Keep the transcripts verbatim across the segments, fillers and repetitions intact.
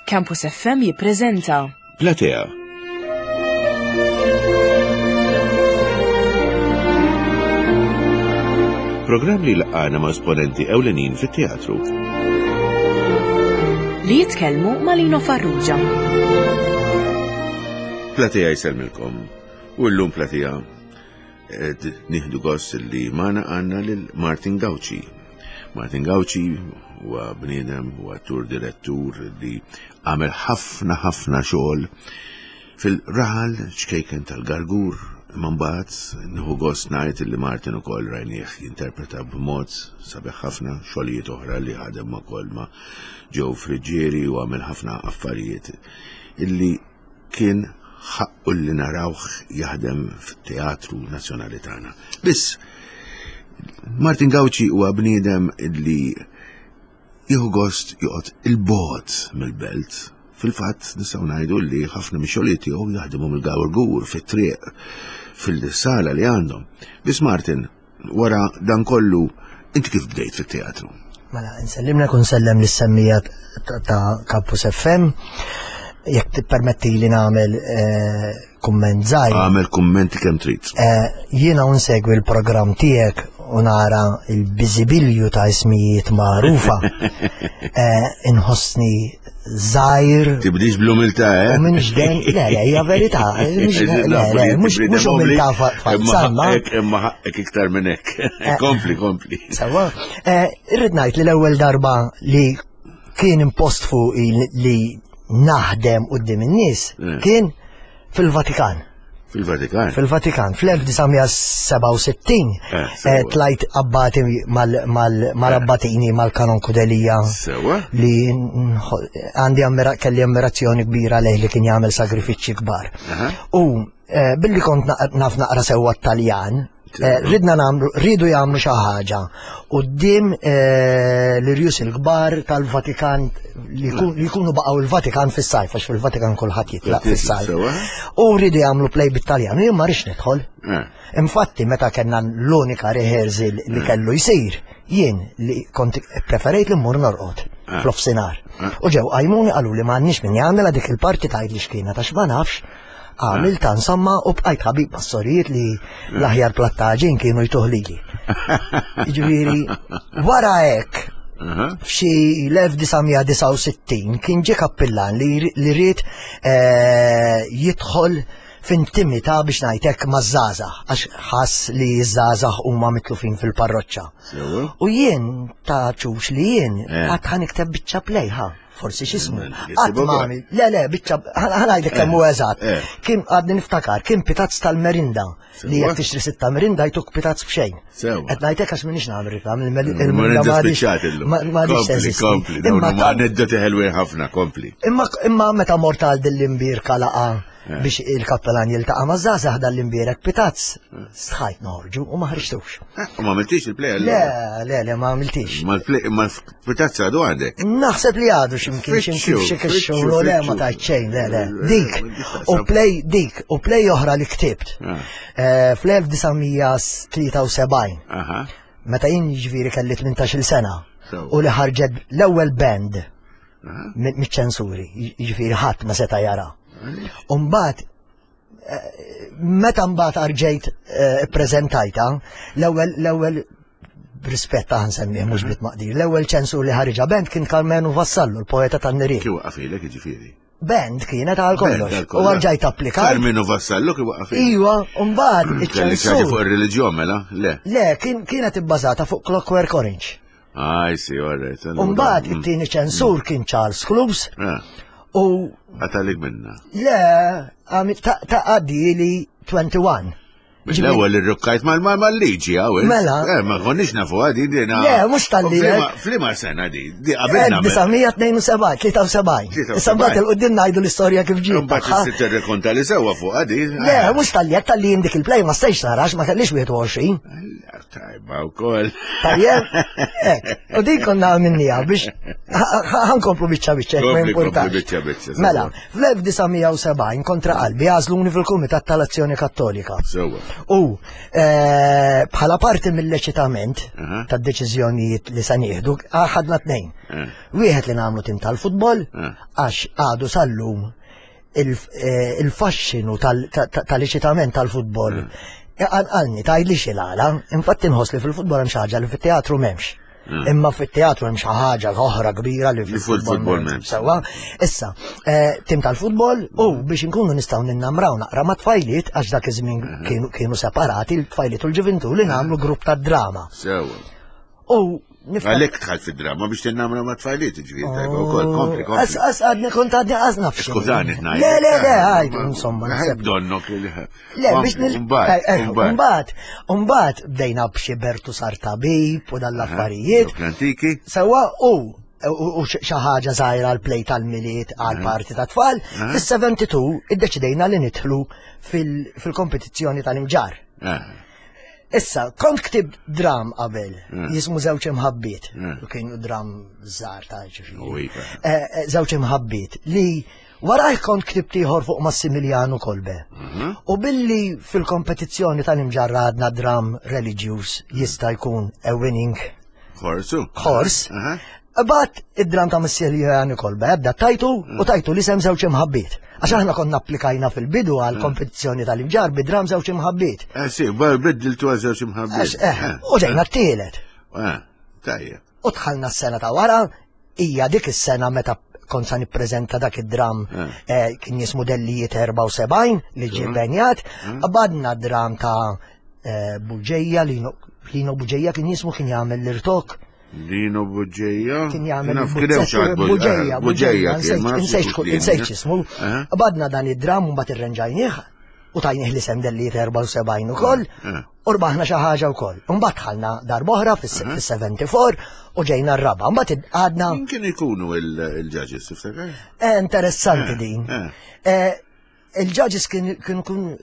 Campus F M jippreżenta Platea. Programm li laqana ma' esponenti ewlenin fit-teatru. Li jitkellmu ma' Lino Farrugia. Platea jsellmilkom. U llum Platea qed nieħdu gost li magħna għandna lil Martin Gauci. Martin Gauci huwa bniedem, huwa attur, direttur li għamel ħafna ħafna xogħol fil-raħal ċkejken tal-Gargur. Imma mbagħad nieħu gost ngħid li Martin ukoll rajnieh jinterpreta b'mod sabiħ ħafna xogħlijiet oħra li ħadem ukoll ma' Joe Friggieri u għamel ħafna affarijiet illi kien ħaqqu li narawh jaħdem fit-Teatru Nazzjonali tagħna. Biss Martin Gauci huwa bniedem illi jieħu gost joqgħod il-bogħod mill-belt. Fil-fatt nistgħu ngħidu li ħafna mix-xogħlijiet tiegħu jaħdmu mill-Gargur fit-triq fil-sala li għandhom. Biss Martin, wara dan kollu, inti kif bdejt fit-teatru? Mela, nsellimlek u nsellem lis-semmija ta' Campus F M. Jekk tippermetti li nagħmel eh, kumment żgħir. Għamel kummenti kemm trid. Eh, jiena unsegwi l-programm tiegħek u nara il-biżibilju ta' ismijiet magħrufa. Eh, inħossni żgħir. Tibdix bl-umiltà, eh? U minx den, le, le, hija verità. Mhux- Le, le, mhux mhux umiltà falsa, ma. Imma ħaqqek iktar minn hekk. Kompli, kompli. Sewwa, eh, irrid ngħid li l-ewwel darba li kien impost fuqi li naħdem quddiem in-nies Mm. kien fil-Vatikan. Fil-Vatikan. Fil-Vatikan, fl-elf disa' mija sebgħa u sittin Eh, eh, sewwa. tlajt abbati mal- mal-abbatini mal-Kanonku Delia Sewwa. li nħo- għandi ammira, kelli ammirazzjoni kbira lejh li kien jagħmel sagrifiċċji kbar. Aha. U eh, billi kont naq- naf naqra sewwa Taljan, eh, ridna nagħmlu, ridu jagħmlu xi ħaġa quddiem eh, l-irjus il-kbar tal-Vatikan li jkun- li jkunu baqgħu il-Vatikan fis-sajf, għax fil-Vatikan kulħadd jitlaq fis-sajf. Sewwa. U rridu jagħmlu play bit-Taljan, u jien ma rridx nidħol. Eh. Infatti, meta kellna l-unika rehearsal li kellu jsir, jien li kont preferejt li mmur norqod Ah. fl-offsinar. Ah. U ġew qajmuni, qalu li m'għandniex min jagħmel dik il-parti, tgħid li x'kienet għax ma nafx. Għamil ta' insomma u bqajt ħabib mas-sorijiet li l-aħjar plattaġin kienu jtuh lili. Jiġifieri, wara hekk, Aha. f'xi l-elf disa' mija disgħa u sittin kien ġie kappillan li li ried eh, jidħol f'intimità, biex ngħidlek, maż-żgħażagħ, għax ħass li ż-żgħażagħ huma mitlufin fil-parroċċa. Sewwa. U jien ta' ċux li jien Eh. għad ħa nikteb biċċa play, ha, forsi x'ismu. Mm, Qatt ma għamil, le le, biċċa, ħa ngħidlek kemm hu eżatt. Eh. Kien għadni niftakar, kien pitazz tal-merinda li Sewwa. jekk tixtri sitta merinda jtuk pitazz b'xejn. Sewwa. Qed ngħidlek għax m'iniex nagħmel reklam, Il-merinda il-merinda ma għadix- spiċċat illum. ma ma għadix Kompli, teżisti. kompli. Dawn Imma huma ta- aneddoti ħelwin ħafna, kompli. Imma imma meta mort għal dil-imbierka laqgħa Eh. biex il-kappellan jiltaqa' ma' żgħażagħ, dal-imbierek pitazz, stħajt noħorġu u ma ħriġtux. Eh, U ma għamiltix il-play? Le, le, le, ma għamiltix. Ma l-play, ma l-pitazza għadu għandek? Naħseb li għadu ximkien ximkien Fitxu, xi fitxu, kixxu, le ma fitxu. tajt xejn, le, le. Eh, Dik, u play dik, u play oħra li ktibt. Ah. Eh, Fl-elf disa' mija tlieta u sebgħin, Aha. meta jien ġifieri kelli tmintax-il sena, Sewwa. u li ħarġet l-ewwel band Aha. miċ-ċensuri, ġifieri ħadd ma seta' jara. Umbagħad, meta mbagħad arġejt eh, ippreżentajta, l-ewwel l-ewwel b'rispett ta' nsemmieh mhux bit-maqdir, l-ewwel ċensur li ħariġa banned kien Karmenu Vassallo, l-poeta tan-nirien. Kif waqafilek ġifieri? Banned kienet għal kollox. Banned għal U kollox. arġajt applikajt. Karmenu Vassallo kif waqafilek? Iwa, u mbagħad Kelli xaġa fuq iċ-ċensur. ir-reliġjon mela? Le. Le, kien kienet ibbażata fuq Clockwork Orange. I see, all right. U mbagħad it-tieni ċensur kien Charles Close Ah, u għatalik minna. le, għamil- ta' ta' għaddi li wieħed u għoxrin. Mill-ewwel irrukkajt mal-liġi għaw. Mela. Eh, ma konniex nafu għadi dina. Le, mhux tal-li hekk. Flima sena di, di qabilna. elf disa' mija tnejn u sebgħin, tlieta u sebgħin. Issa mbagħad il-qudiem ngħidu l-istorja kif ġiet. Mbagħad tagħha. tirrekonta li sewwa fuq għadi. Le, mhux tal-li hekk, tal-li dik il-play ma stajx narax, ma kellix wieħed u għoxrin. Tajba wkoll. Tajjeb, hekk. U din konna għamilniha biex ħa nkomplu biċċa biċċa, ma Kompli, kompli importax. biċċa biċċa, sewwa. Mela, fl-elf disa' mija u sebgħin kontra qalbi għażluni fil-Kumitat tal-Azzjoni Kattolika. Sewwa. U eh, bħala parti mill-eċitament Aha. tad-deċiżjonijiet li sa nieħdu, ħadna tnejn. Eh. Wieħed li nagħmlu tim tal-futbol, Eh. għax għadu sal-lum il- eh, il-faxxinu tal- ta- ta- tal-eċitament tal-futbol. Għalni, tgħidli x'il-għala, infatti nħoss li fil-futbol hemm xi ħaġa li fit-teatru m'hemmx. Imma fit-teatru hemm xi ħaġa oħra kbira li fil-futbol fil-futbol m'hemmx. Sewwa, issa, eh, tim tal-futbol u biex inkunu nistgħu ninnamraw naqra ma' tfajliet għax dak iż-żmien kienu kienu separati l-tfajliet u l-ġuvintu li nagħmlu grupp ta' drama. Sewwa. U niftakar Għalhekk dħalt fid-drama biex tinnamra ma' tfajliet, ġifieri tajba wkoll, kompli, As, kompli. as, għadni kont għadni għaz nafx. Skużani, ngħid. Le, le, le, għajdu, insomma, naħseb. Donnok li. Le, biex nil. Mbagħad, Eh, eh, Mbagħad, mbagħad bdejna b'xi Bertu sar tabib u dal-affarijiet. Dawk l-antiki. Sewwa u u u xi ħaġa żgħira għal play tal-Milied għal parti ta' tfal, fis-sebgħa u sebgħin iddeċidejna li nidħlu fil- fil-kompetizzjoni tal-Imġarr. Eh, Issa, kont ktib dram qabel, jismu Żewġ Imħabbiet, Mm. u kienu dram żgħar ta' ġifieri. U iva. Eh, eh, Żewġ Imħabbiet li waraj kont ktibt ieħor fuq Massimiliano Kolbe. U billi fil-kompetizzjoni tal-Imġarr għadna dram reliġjuż jista' jkun a winning Horsu. horse, Aha. Bat id-dram ta' Massimiliano Kolbe, ebda tajtu u tajtu l-isem Żewġ Imħabbiet. Għax aħna konna applikajna fil-bidu għal kompetizzjoni tal-Imġarr bid-dram Żewġ Imħabbiet. Eh, sì, ba- biddiltu għal Żewġ Imħabbiet. Għax, eh, u ġejna t-tielet. Eh, tajjeb. U dħalna s-sena ta' wara, hija dik is-sena meta kont sa nippreżenta dak id-dram eh, kien jismu Dellijiet erbgħa u sebgħin li ġie benjat, qabadna dram ta' eh, Buġeja, Lino Lino Buġeja kien jismu, kien jagħmel l-irtok, Lino Buġeja. kien jagħmel Naf kien hemm xi ħadd Bu- Buġeja, eh, Buġeja kien, ma nafx insejt kien. insejt x'ismu. Eh. Qabadna dan id-dram u mbagħad irrenġajnieh u tajnieh l-isem Dellijiet erbgħa u sebgħin ukoll. Eh. U rbaħna xi ħaġa wkoll. Mbagħad dħalna darb'oħra fis-sebgħa u sebgħin u ġejna r-raba. Mbagħad għadna Min kien ikunu il-judges, tiftakar? Eh, interessanti din. eh. Eh, Il-judges kien kien kun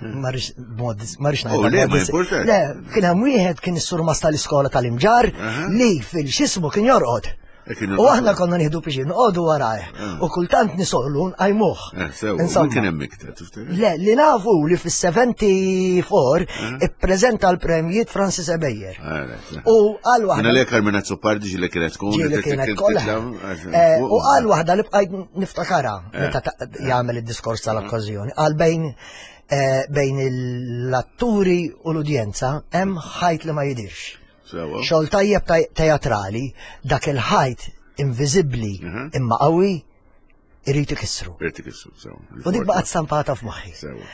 marriċ mod marriċ Oh, le, ma importax. Le, kien hemm wieħed kien is-surmas tal-iskola tal-Imġarr li fil-xismu kien jorqod. Eh, kien U aħna konna nieħdu biex noqogħdu warajh. U kultant nisollu nqajmuh. Eh, sew, Insomma. min kien hemm iktar, tiftakar? Le, li nafu li fis-sebgħa u sebgħin ippreżenta l-premjiet Francis Ebejer. Ah, right. U għal Minna waħda li Carmen Azzopardi ġili kienet tkun. ġieli kienet kollha. Eh, U għal waħda li bqajt niftakara meta ta- jagħmel id-diskors tal-okkażjoni. Għal bejn eh, bejn l-atturi u l-udjenza hemm ħajt li ma jidirx. Sewwa. Xogħol tajjeb taj- teatrali, dak il-ħajt inviżibbli Mhm. imma qawwi irid ikissru. Irid ikissru, sewwa. U dik baqgħet stampata f'moħħi. Sewwa.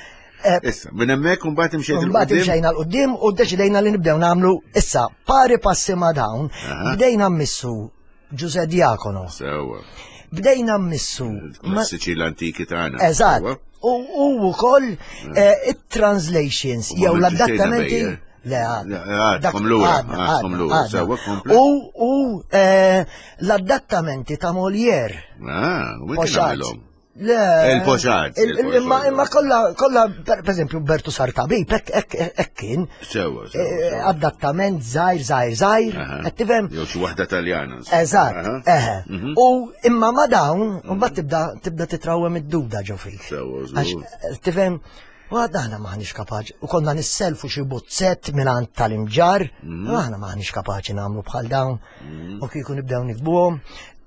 Eh, Issa, minn hemmhekk imbagħad imxejt Mbagħad il-qudiem. imxejna l-qudiem u ddeċidejna li nibdew nagħmlu issa pari passi ma' dawn, Aha. bdejna mmissu Ġuże Diakono, Sewwa. bdejna mmissu ma- Klassiċi l-antiki tagħna. Eżatt. Sewwa. U u wkoll eh, it-translations U ma jew għamiltu xejn l-adattamenti. Ebejer? Le, għadna. Le, għadkom Dak- lura, għadna, għadkom għadna, lura, għadna. sewwa, kompli. U u eh, l-adattamenti ta' Molière. Ah, u min kien Pochard. għamilhom? Le. Il-Pochard, Il- il- il-Pochard. Imma imma kollha kollha per per eżempju Bertu Sartabib, hekk hekk hekk kien. Sewwa, sewwa. Eh, sewwa. Adattament żgħir żgħir żgħir, Aha. qed tifhem? Jew xi waħda Taljana. insomma. Eżatt, Aha. eħe. Mhm. U imma ma dawn, mbagħad tibda tibda titrawem id-duda ġo fik. Sewwa, Għax, żgur. eh, tifhem, u għadna aħna maħniex kapaċi, u konna nisselfu xi buzzett minn tal-Imġarr, Mhm. u aħna maħniex kapaċi nagħmlu bħal dawn, u kieku nibdew nikbuhom.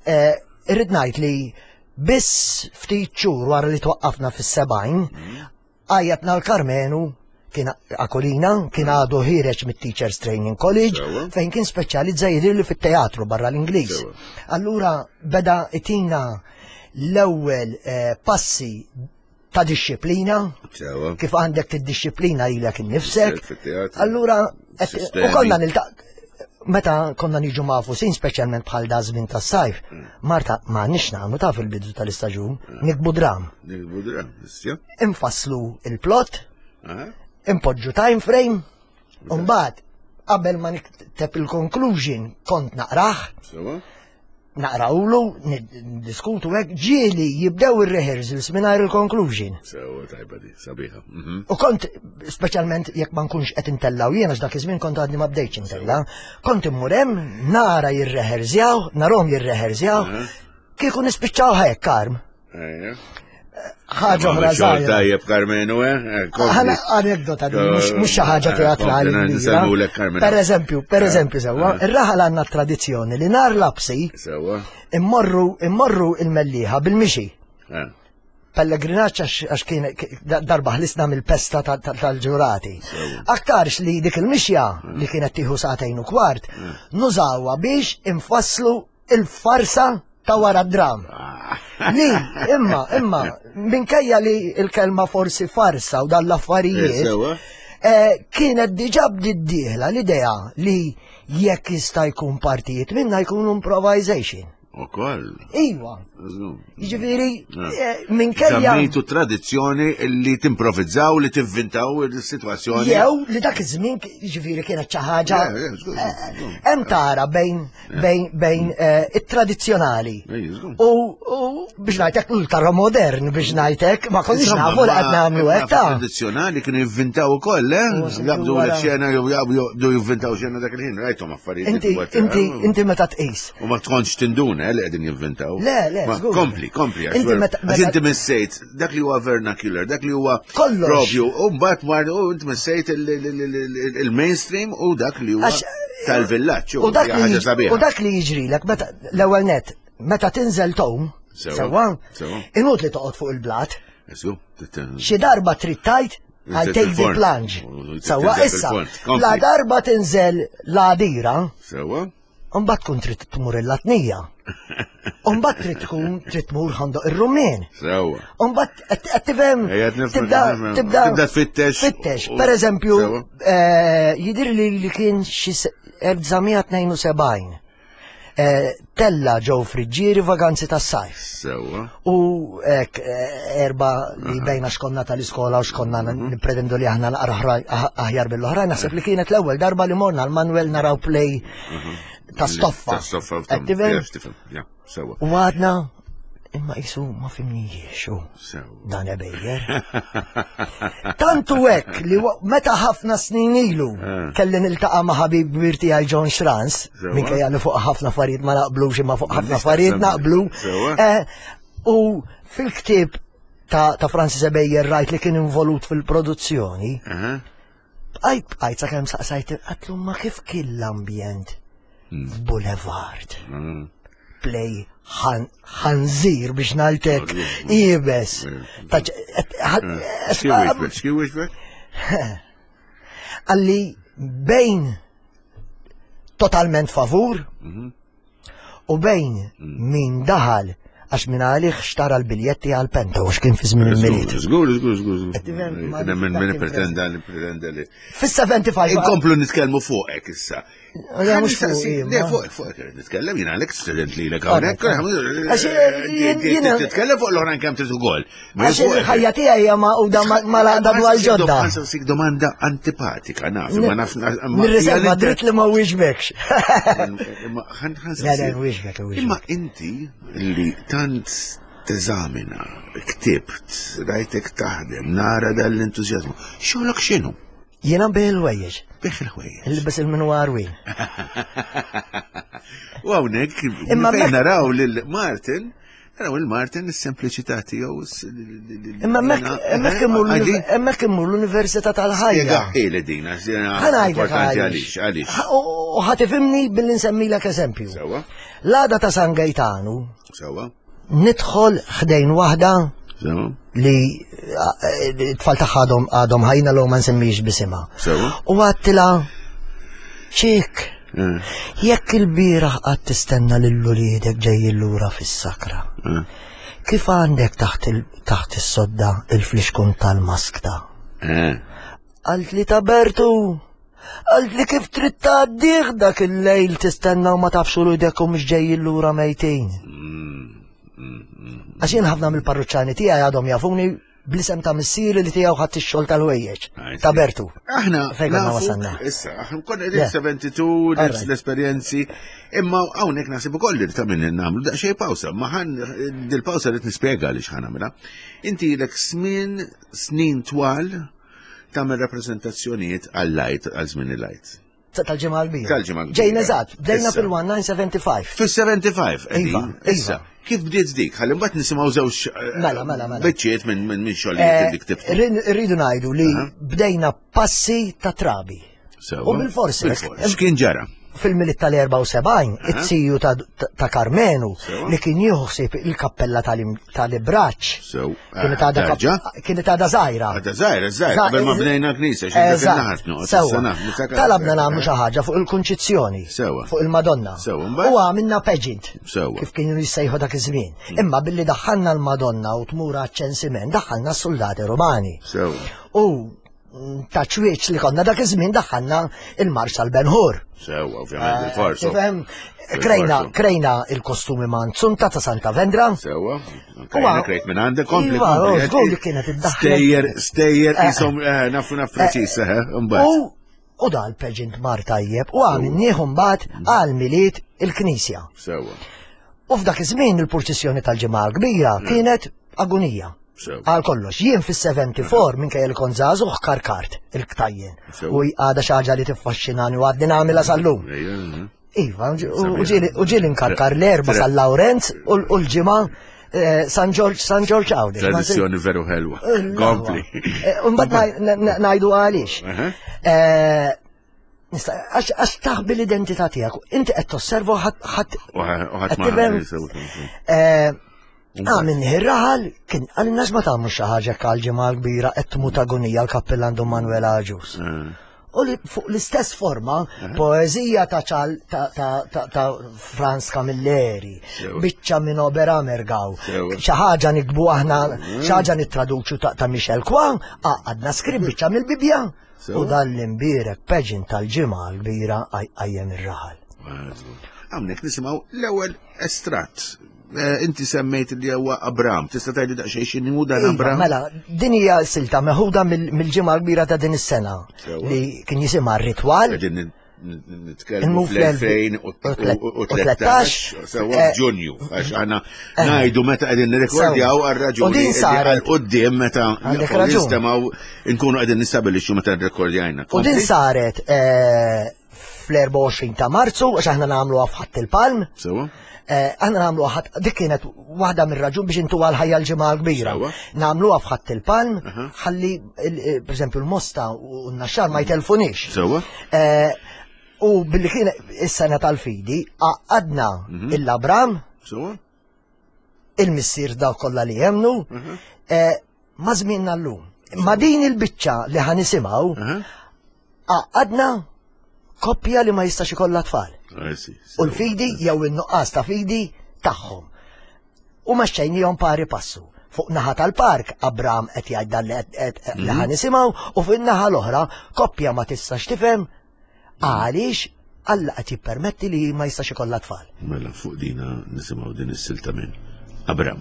Eh, Irrid ngħid li biss ftit xhur wara li twaqqafna fis-sebgħin, Mhm. għajjatna l-Karmenu kien Akolina, kien għadu ħiereġ mit-Teachers Training College, Sewwa. fejn kien speċjalizza jidhirli fit-teatru barra l-Ingliż. Sewwa. Allura beda itina l-ewwel eh, passi ta' disċiplina, Sewwa. kif għandek tiddixxiplina lilek innifsek. Fit-teatru. Allura, et- Sistemi. u konna nilta' meta konna niġu mafusin, speċjalment bħal da żmien tas-sajf, Marta, ma nix nagħmlu ta' fil-bidu tal-istaġun, nikbu dram. Nikbu dram, issja. Infasslu il-plot, Aha. impoġġu time frame, u mbagħad qabel ma nikteb il-conclusion kont naqrah, Sewwa. naqrawlu, niddiskutu hekk, ġieli jibdew ir-rehearsals mingħajr il-conclusion. Sewwa tajba di, sabiħa. Mhm. U kont, speċjalment jekk ma nkunx qed intellaw jiena, għax dak iż-żmien kont għadni ma bdejtx intella, kont immur hemm nara jirreherzjaw, narhom jirreherzjaw, Mhm. kieku nispiċċaw hekk karm. Ejja. Ħaġa oħra Xogħol żgħira. tajjeb Karmenu, eh? Eh, kompli. Ħana anekdota din, mhux mhux xi ħaġa Eh, teatrali kompli, kbira. nsellmulek, Karmenu. Per eżempju, per eżempju sewwa, eh. ir-raħal għandna tradizzjoni li nhar lapsi Sewwa. immorru immorru il-Mellieħa bil-mixi. Eh, Pellegrinaġġ għax għax kien k- darba ħlisna mill-pesta ta- ta- tal-ġurati. Aktarx li dik il-mixja li kienet tieħu sagħtejn u kwart, nużawha biex infasslu il-farsa ta' wara d-dram. Li, imma, imma, minkejja li il-kelma forsi farsa u dan Eh, l-affarijiet, Sewwa. eh, kienet diġà bdiet dieħla l-idea li jekk jista' jkun partijiet minna jkunu improvisation. Ukoll. Iwa, Żgur. jiġifieri, Eh. eh, minkejja. Żammejtu tradizzjoni li timprovizzaw, li tivvintaw il-sitwazzjoni. Jew li dak iż-żmien jiġifieri kienet xi ħaġa Le, le, żgur, żgur. hemm tara bejn bejn bejn eh, it-tradizzjonali Ej, żgur. u u biex ngħidlek ultra modern biex ngħidlek ma konniex Insomma, nafu li ma- qed nagħmlu imma hekk ta' Tradizzjonali kienu jivvintaw ukoll, eh? U se Jaqbdu wara- l-xena jew jaqbdu jivvintaw xena dak il-ħin, rajthom affarijiet. Inti li huwa- inti inti meta tqis. U ma tkontx tinduna eh, li qegħdin jivvintaw. Le, le, Ma żgur. Kompli, kompli. għax Inti vera- meta- Għax meta- inti missejt dak li huwa vernacular, dak li huwa Kollox. propju, u mbagħad mar u inti missejt il- il- il- il- il-mainstream u dak li huwa Għax- tal-villaġġ. U dak hija li ħaġa jiġ- sabiħa. u dak li jiġrilek meta l-ewwel net meta tinżel tom Sewwa, sewwa sewwa. inut li toqgħod fuq il-blat Esu, tit- xi darba trid tajt għal Tinżel take the fil-fond. plunge. U Sewwa tinżel issa fil-fond. Kompli. la darba tinżel l-għadira Sewwa? Mbagħad tkun trid tmur il-Latnija. Mbagħad trid tkun trid tmur Ħandoq ir-Rumien. Sewwa. Mbagħad qed qed tifhem Ejja, qed nifhem, tibda qed nifhem. tibda Tibda tfittex. Tfittex. U- Per eżempju, Sewwa. eh, jidhir li li kien xi se- elf disa' mija tnejn u sebgħin. Eh, Tella ġew Friġġieri vaganzi tas-sajf. Sewwa. U ek, eh, erba li bejna xkonna tal-iskola u xkonna nipretendu li aħna naqra ħra- ah- aħjar bil-oħrajn, naħseb li kienet l-ewwel darba li morna l-Manuel naraw play ta' stoffa. Ta' stoffa. u Qed tom- tifhem? Jaf, tifhem. Ja, sewwa. U għadna, imma jisu ma fimnijiex u Sewwa. dan ebejjer. Tantu hekk li wa- meta ħafna snin ilu Eh. kelli niltaqa' ma' ħabib kbir tiegħi John Schranz, Sewwa. minkejja li fuq ħafna affarijiet ma naqblux imma fuq ħafna M'għandix affarijiet taqsam. naqblu. Sewwa. Eh, U fil-ktieb ta', ta' Francis Ebejer rajt li kien involut fil-produzzjoni, Aha. bqajt bqajt sakemm saqsajt għatlu ma kif kien l-ambjent f'Boulevard. Mm. Play ħan- ħanżir biex ngħidlek iebes. Ta' ċ- et- ħa- Xi wieġbek? Xi wieġbek? Għalli bejn totalment favur u bejn min daħal għax min għalih xtara l-biljetti għal penta u x'kien fi żmien il-Milied. Żgur, żgur, żgur, żgur. Qed tifhem, ma Kien hemm min dak min kien pretenda li pretenda li. Fis-sebgħa u ħamsin Inkomplu nitkellmu fuqek issa. Le, mhux fuqi, Le, ma. fuqek, fuqek irrid nitkellem, jiena għalek student li lek hawnhekk. Għax, jien- jiena- Titkellem fuq l-oħrajn kemm trid ukoll. Ma Għax il-ħajja tiegħi hija magħquda mal-għaqda dwar ġodda. Ħansaqsik domanda antipatika, naf, ma naf. Nirriserva dritt li ma wieġbekx. Imma ħan Le, le, wieġbek, wieġbek. Imma inti li tant teżamina, ktibt, rajtek taħdem, nara dal-entużjażmu, xogħlok x'inhu? Jiena nbigħ il-ħwejjeġ, Bih il-ħwejjeġ. ilbes il-minwar win. U hawnhekk Imma fejn mek- naraw lil Martin, naraw il Martin is-sempliċità tiegħu. s- Imma hemmhekk hemmhekk immur Għadi? hemmhekk immur l-Università tal-Ħajja. Spjegaħi din, għax jiena Ħa ngħidlek importanti għaliex. għaliex, għaliex. Ħa- U u ħa tifhimni billi nsemmilek eżempju. Sewwa, L-għada ta' San Gaetanu sewwa, nidħol ħdejn waħda sewwa, li eh, t-tfal tagħha għadhom għadhom ħajna l ma nsemmix bisimha. sewwa. U għedtilha ċik, Eh, jekk il-bieraħ qatt tistenna lil uliedek ġejjin lura fis-sakra. eh, Kif għandek taħt il- taħt is-sodda il-flixkun tal-maskta? eh. Għalt li ta' Bertu, għalt li kif trid tgħaddih dak il-lejl tistenna u ma tafx uliedek u mhux ġejjin lura mejtin. Għax jien ħafna mill-parruċċani tiegħi għadhom jafuni bl-isem ta' missieri li tiegħu ħadd ix-xogħol tal-ħwejjeġ. I see. Ta' Bertu. Aħna Fejn konna nafu- wasalna? Issa, aħna konna Le. qegħdin sebgħa u sebgħin All right. l-esperjenzi, imma hawnhekk naħseb ukoll li ta' minn nagħmlu daqsxejn pawsa, ma ħan dil-pawsa rrid nispjega għaliex ħa nagħmilha. Inti ilek smin snin twal tagħmel rappreżentazzjonijiet għal-lajt għal żmien il-lajt. Tal-Ġimgħa l-Kbira. Tal-Ġimgħa l-Kbira. Ġejna eżatt, bdejna Issa. fil-nineteen seventy-five. Fis-sebgħa u sebgħin, Iva, qegħdin. Issa, iva. kif bdiet dik? Ħalli mbagħad nisimgħu żewġ eh, Mela, mela, mela. biċċiet minn minn minn xogħlijiet li ktibtu. Eh, Rridu ngħidu li bdejna passi ta' trabi. Sewwa. U bil-forsi. Bil-forsi. X'kien ġara? Fil-Milied tal-erbgħa u sebgħin, it-ziju ta' ta' Karmenu Sewwa. li kien jieħu il-kappella tal- tal-Ibraċ. Sew. Kienet għadha kap- Terġa'? Kienet għadha żgħira. Għadha żgħira, żgħira, qabel ma bnejna knisja, xi Eżatt, sewwa. Talabna nagħmlu xi ħaġa fuq il-Kunċizzjoni. Sewwa. Fuq il-Madonna. Sewwa, mbagħad? U għamilna pageant. Sewwa. Kif kienu jissejħu dak iż-żmien. Imma billi daħħalna l-Madonna u tmur għaċ-ċensiment, daħħalna s-soldati Romani. Sewwa. U mm, ta' ċwieċ li konna dak iż-żmien daħħalna il-Marx tal-Benhur. Sewwa, ovvjament, il-forsu. Tifhem? Krejna, Bil-forsu. krejna il-kostumi manzunta ta' Santa Vendra. Sewwa. Krejna krejt minn għandek, kompli. Iva, kompli. żgur li kienet iddaħħlet. Stejjer, stejjer, Eh. isom, eh, nafu naf preċis, eh, mbagħad. U u dal-pageant mar tajjeb u għamilnieh mbagħad għal Milied il-Knisja. Sewwa. U f'dak iż-żmien il-purċissjoni tal-Ġimgħa l-Kbira kienet agonija. Sewwa. Għal kollox, jien fis-sebgħa u sebgħin minkejja li kont żagħżugħ karkart il-ktajjen. Sewwa. U għadha xi ħaġa li tiffaxxinani u għadni nagħmilha sal-lum. Ejja, eh. Iva, u ġieli- u ġieli nkarkar l-Erbgħa Tre- San Lawrenz u u l-Ġimgħa eh, San Ġorġ San Ġorġ Għawdex. Tradizzjoni veru ħelwa. Kompli. Mbagħad ngħidu għaliex. Aha. Eh, nista- Għax għax taħbi l-identità tiegħek. Inti qed tosserva ħadd ħadd U ħadd ma. Qed tifhem? eh, Għamilni ir-raħal kien għalina ma tagħmlu xi ħaġa għal Ġimgħa l-Kbira qed tmut agonija l-kappillan Dun Manuel Agius. U li fuq l-istess forma, poezija ta' ċal ta' ta' ta' ta' Franz Camilleri, Sewa. biċċa minn Oberammergau, Sewa. xi ħaġa nikbu aħna, xi ħaġa nittraduċu ta' ta' Michel Kwan, għadna skrib biċċa mill-Bibja. Sewa. U dan l-imbierek pageant tal-Ġimgħa l-Kbira għajjem ir-raħal. Hawnhekk nisimgħu l-ewwel estratt. Eh, Inti semmejt li huwa Abram. Tista' tgħidli daqsxejn x'inhu dan Iva, Abram? mela, din hija silta meħuda mill- mill-Ġimgħa l-Kbira ta' din is-sena Sewa. li kien jisimha r-ritwal. Qegħdin nitkellmu Immu fl-elfejn u tlettax, sewwa, eh, f'Ġunju, għax aħna ngħidu meta qegħdin nirrekordjaw Sewa. għal raġuni U din li saret- għal quddiem meta Għandek raġun. nistemaw nkunu qegħdin nistabilixxu meta nrekordjajna. U din saret eh, fl-erbgħa u għoxrin ta' Marzu, għax aħna nagħmluha f'Ħadd il-Palm. Sewwa? Eh, Aħna nagħmluha ħadd, dik kienet waħda mir-raġun biex intu għal ħajja l-Ġimgħa l-Kbira. Sewwa. Nagħmluha f'Ħadd il-Palm, ħalli il- eh, per eżempju l-Mosta u n-Naxxar ma jtelfunix. Sewwa? Eh, U billi kien is-sena tal-fidi, għadna il-Abram, Sewwa? il-missier daw kollha li jemnu, eh, ma żmienna llum. Ma din il-biċċa li ħa nisimgħu, Aha. għadna koppja li ma jistax ikollha tfal. I see. U l-fidi jew in-nuqqas ta' fidi tagħhom. U mexxejnihom pari passu. Fuq naħa tal-park Abram qed jgħid dan li qed- qed- li ħa nisimgħu u fuq in-naħa l-oħra koppja ma tistax tifhem għaliex Alla qed jippermetti li ma jistax ikollha tfal. Mela fuq dina nisimgħu din is-silta minn Abram.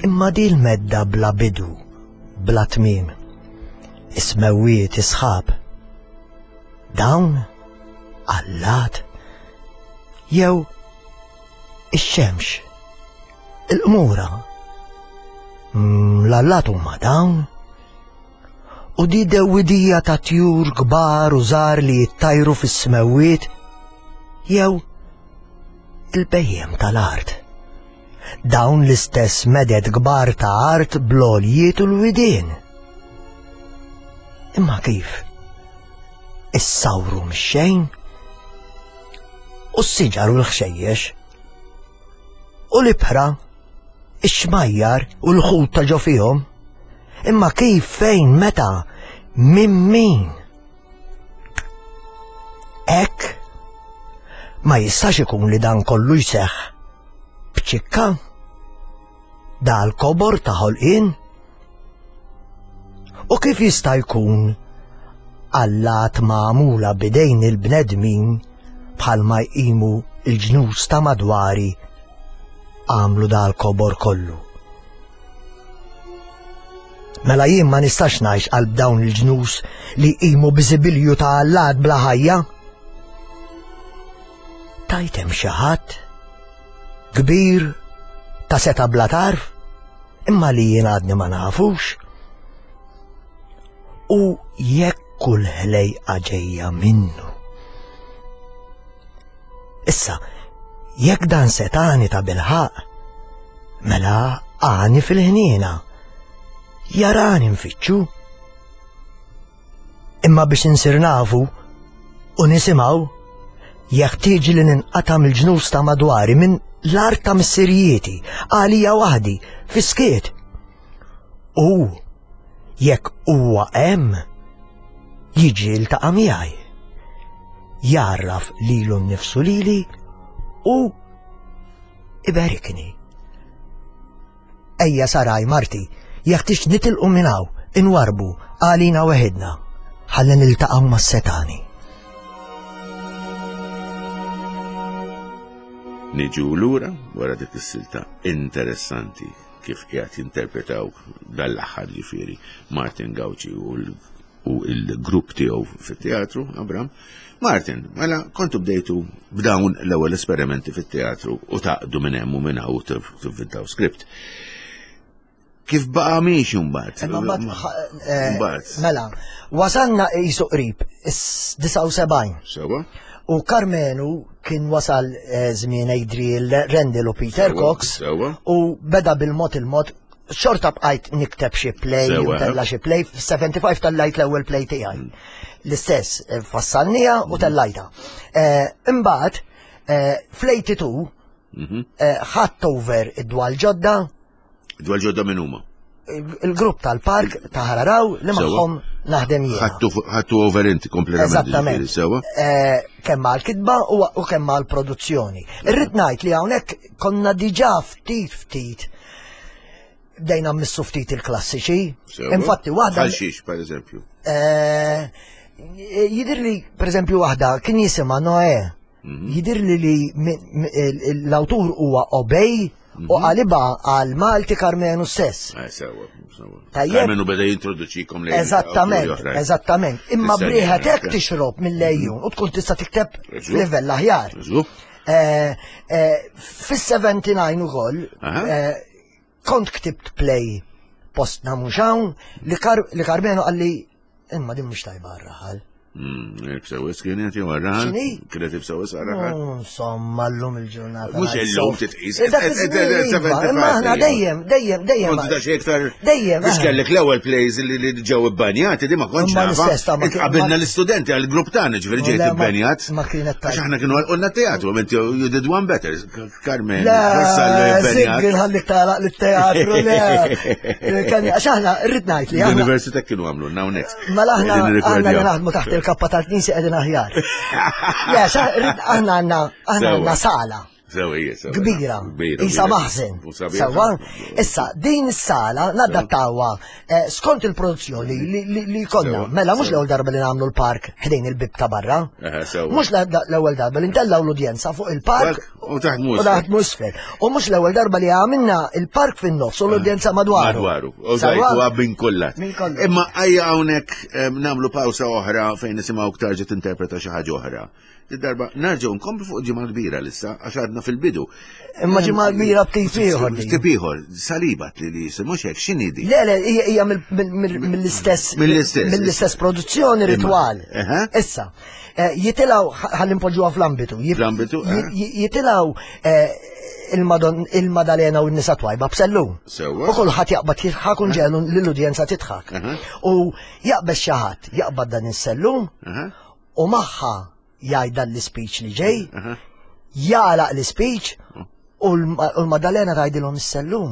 Imma di l-medda bla bidu, bla tmim, is-smewwiet isħab. Dawn allat jew ix-xemx, il-qmura. Mm, L-allat huma dawn. U di dewwidija ta' tjur kbar u żgħar li jittajru fis-smewwiet jew il-bejjem tal-art. Dawn l-istess meded kbar ta' art bl-għoljiet u l-widien. Imma kif? Issawru mix-xejn? U s-siġar u l-ħxejjex? U l-ibħra? Ix-xmajjar u l-ħut ta' ġo fihom? Imma kif, fejn, meta, minn min? Hekk? Ma jistax ikun li dan kollu jseħħ b'ċikka? Dal-kobor ta' ħolqien? U kif jista' jkun allat magħmula bidejn il-bnedmin bħalma jqimu il-ġnus ta' madwari għamlu dal-kobor kollu? Mela jien ma nistax ngħix qalb dawn il-ġnus li jqimu biżibilju ta' allat bla ħajja. Tajtem xi ħadd kbir ta' seta bla tarf, imma li jien għadni ma nafux. U jekk Kull ħlejqa ġejja minnu. Issa, jekk dan setani ta' bilħaq, mela għani fil-ħniena, jarani nfittxu. Imma biex insir nafu u nisimgħu, jeħtieġ li ninqata' mill-ġnus ta' madwari, minn l-art ta' missirijieti, għalija waħdi, fis-skiet. U jekk huwa hemm, jiġi ltaqa' miegħi, jarraf lilu nnifsu lili u iberikni. Ejja Saraj, marti, jeħtieġ nitilqu minn hawn, inwarbu għalina weħidna, ħalli niltaqgħu mas-setani. Niġu lura wara dik is-silta interessanti kif qiegħed jinterpretaw dal-aħħar ġifieri Martin Gauci u l-grupp tiegħu fit-teatru, Abram. Martin, mela kontu bdejtu b'dawn l-ewwel esperimenti fit-teatru u taqdu minn hemm u minn hawn tivvintaw script. Kif baqa' miexi mbagħad? Mbagħad. Mela, wasalna qisu qrib is-disgħa u sebgħin. Sewa. U Karmenu kien wasal żmien Adriel Rendell u Peter Cox. U beda bil-mod il-mod, xorta bqajt nikteb xi play, tella xi play, f-sebgħa u ħamsin tellajt l-ewwel play tiegħi. L-istess, fassalnija u tellajta. Imbagħad, fl-eighty two, ħadd over id-dwal ġodda. Dwal ġodda minn huma? Il-grupp tal-park ta' Ħararaw li magħhom naħdem jien. Ħadtu over inti kompletament. Eżattament. Sewa. Kemm għall-kitba u kemm għall-produzzjoni. Irrid ngħid li hawnhekk konna diġà ftit ftit bdejna mmissu ftit il-klassiċi. Infatti waħda. Bħal xiex, per eżempju? Jidhirli, per eżempju, waħda kien jisimha Noè. Jidhirli li l-awtur huwa Obey u qaliba għal Malti Karmenu stess. Sewa, sewa. Karmenu beda jintroduċikom lejn. Eżattament, eżattament. Imma briħet hekk tixrob mill-lejjun u tkun tista' tikteb f'livell aħjar. Fis-seventy nine ukoll kont ktibt play postna mhux hawn li Karmenu qalli imma din mhux tajba għar-raħal. Ibsewis kienet jew għar-raħal? Kienet ibsewis għar-raħal? Insomma, llum il-ġurnata. Mhux illum titqis. Imma aħna dejjem, dejjem, dejjem. Kont da xi iktar. Dejjem. Biex kellek l-ewwel plays li ġew ibbanjati, di ma kontx nafa. Qabilna l-istudenti għall-grupp tagħna, ġifieri ġejt ibbanjat. Ma kienet Għax aħna kienu għalqulna teatru, inti you did one better, Carmen. Le, ħallik tagħlaq lit-teatru, le. Għax aħna rrid ngħid li aħna. L-università kienu għamlu now next. Mela aħna aħna naħdmu taħt il-kappa tal-knisja qegħdin aħjar. Le, aħna għandna aħna għandna sala. Kbira, isa maħżen. Sewa, issa din is-sala nadattawha skont il-produzzjoni li konna. Mela mhux l-ewwel darba li nagħmlu l-park ħdejn il-bib ta' barra. Mhux l-ewwel darba li ntellgħu l-udjenza fuq il-park u taħt musfer. U mhux l-ewwel darba li għamilna il-park fin-nofs u l-udjenza madwaru. Madwaru. U żajtu minn kullat. Imma ejja hawnhekk nagħmlu pawsa oħra fejn nisimgħu tarġa' tinterpreta xi ħaġa oħra. Darba narġgħu nkomplu fuq ġimgħa kbira lissa għax għadna fil-bidu. Imma ġimgħa kbira b'tip ieħor. B'tip ieħor, salibat li li jisimgħu hekk x'inhi di? Le le hija mill-istess mill-istess produzzjoni ritwal. Issa, jitilgħu ħalli npoġġuha fl-ambitu. Fl-ambitu? Jitilgħu il-Madalena u n-nisa twajba b'sellum. U kulħadd jaqbad jidħak u nġelu lill-udjenza tidħak. U jaqbes xi ħadd jaqbad dan is-sellum u magħha jgħid dan l-speech li ġej, jagħlaq l-speech u l-Madalena tgħidilhom is-sellum.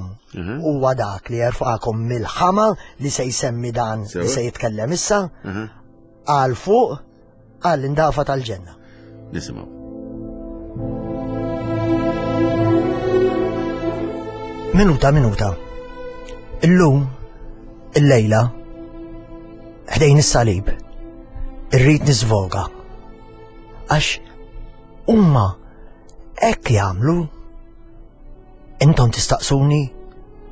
Huwa dak li jerfaqkom mill-ħama li se jsemmi dan li se jitkellem issa għal fuq għall indafa tal-ġenna. Nisimgħu. Minuta minuta. Illum, illejla, ħdejn is-salib, irrid nisvoga. Għax huma hekk jagħmlu. Intom tistaqsuni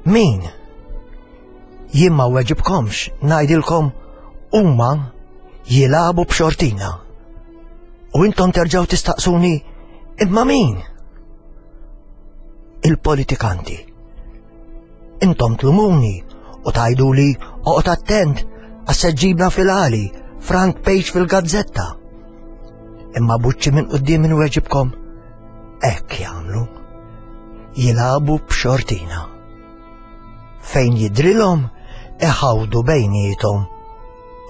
min? Jien ma weġibkomx, ngħidilkom huma jilagħbu b'xortina. U intom terġgħu tistaqsuni imma min? Il-politikanti. Intom tlumuni u tgħiduli oqgħod attent għax se ġibna fil-għali Front page fil-gazzetta. Imma buċċi minn quddiem inweġibkom hekk jagħmlu. Jilagħbu b'xortina. Fejn jidrilhom iħawdu bejniethom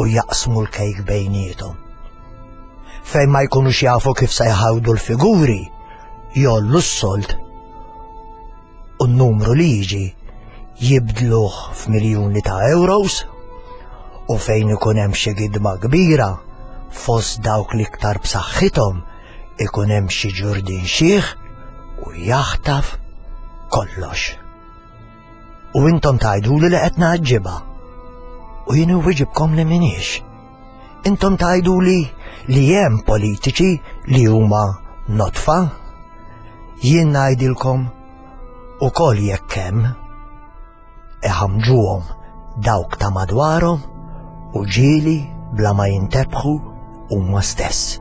u jaqsmu l-kejk bejniethom. Fejn ma jkunux jafu kif se jħawdu l-figuri, jollu s-sold u n-numru li jiġi jibdluh f'miljuni ta' euros u fejn ikun hemm xi gidma kbira fost dawk l-iktar b'saħħithom ikun hemm xi ġurdin xiħ u jaħtaf kollox. U intom tgħiduli li qed ngħaġġibha. U jien inwiġibkom li m'iniex. Intom tgħiduli li hemm politiċi li huma notfa. Jien ngħidilkom ukoll jekk hemm iħamġuhom dawk ta' madwarhom u ġieli bla ma jintebħu huma stess.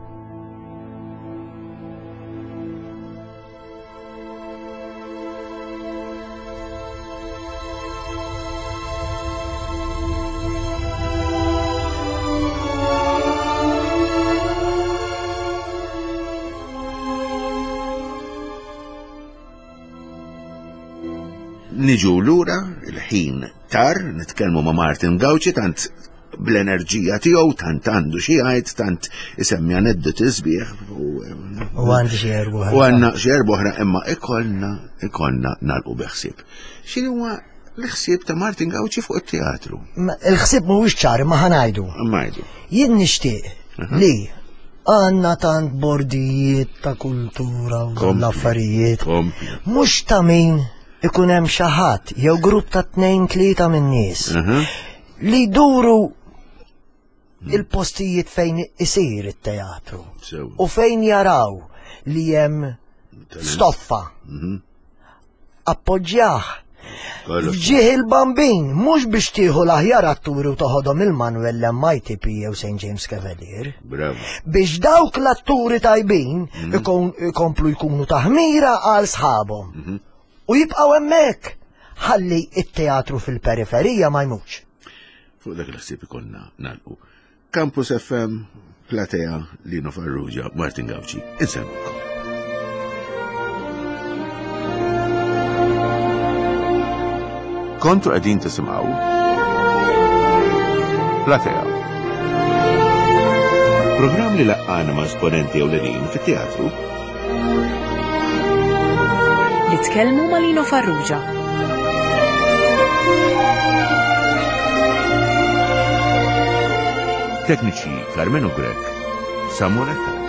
Niġu lura il-ħin tar, nitkellmu ma' Martin Gauci, tant bl-enerġija tiegħu, tant għandu xi jgħid, tant isemmi aneddoti sbieħ u U għandi xi erba' u għandna xi erba' oħra imma ikollna ikollna nagħlqu bi ħsieb. X'inhu huwa l-ħsieb ta' Martin Gauci fuq it-teatru? Ma- Il-ħsieb mhuwiex ċar imma ħa ngħidu. Imma ngħidu. Jien nixtieq li għandna tant bordijiet ta' kultura u Kompli. l-affarijiet. Kompli. Mhux ta' min ikun hemm xi ħadd jew grupp ta' tnejn tlieta minn nies Mhm. li jduru il-postijiet fejn isir it-teatru Sew. u fejn jaraw li hemm stoffa. Mhm. Appoġġjah. Kollox. F'ġieħ il-bambin, mhux biex tieħu l-aħjar atturi u toħodhom il-Manuel l-M I T P jew Saint James Cavalier. Bravo. Biex dawk l-atturi tajbin ikon- ikomplu jkunu taħmira għal sħabhom. U jibqgħu hemmhekk ħalli it-teatru fil-periferija ma jmutx. Fuq dak il-ħsieb ikollna nagħlqu. Campus F M, Platea, Lino Farrugia, Martin Gauci. Insellmukom. Kontu qegħdin tisimgħu Platea. Programm li laqqana ma' esponenti ewlenin fit-teatru. Li tkellmu ma' Lino Farrugia. Tekniċi Carmenu Grech, Samuel Attard.